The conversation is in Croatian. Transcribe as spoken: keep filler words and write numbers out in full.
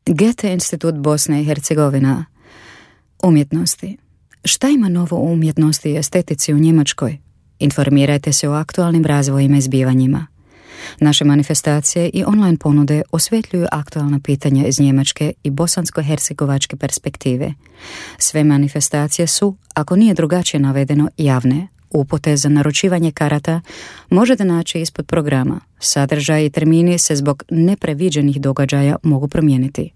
Goethe institut Bosna i Hercegovina. Umjetnosti. Šta ima novo u umjetnosti i estetici u Njemačkoj? Informirajte se o aktualnim razvojima i zbivanjima. Naše manifestacije i online ponude osvetljuju aktualna pitanja iz njemačke i bosansko-hercegovačke perspektive. Sve manifestacije su, ako nije drugačije navedeno, javne. Upute za naručivanje karata možete naći ispod programa. Sadržaj i termini se zbog nepreviđenih događaja mogu promijeniti.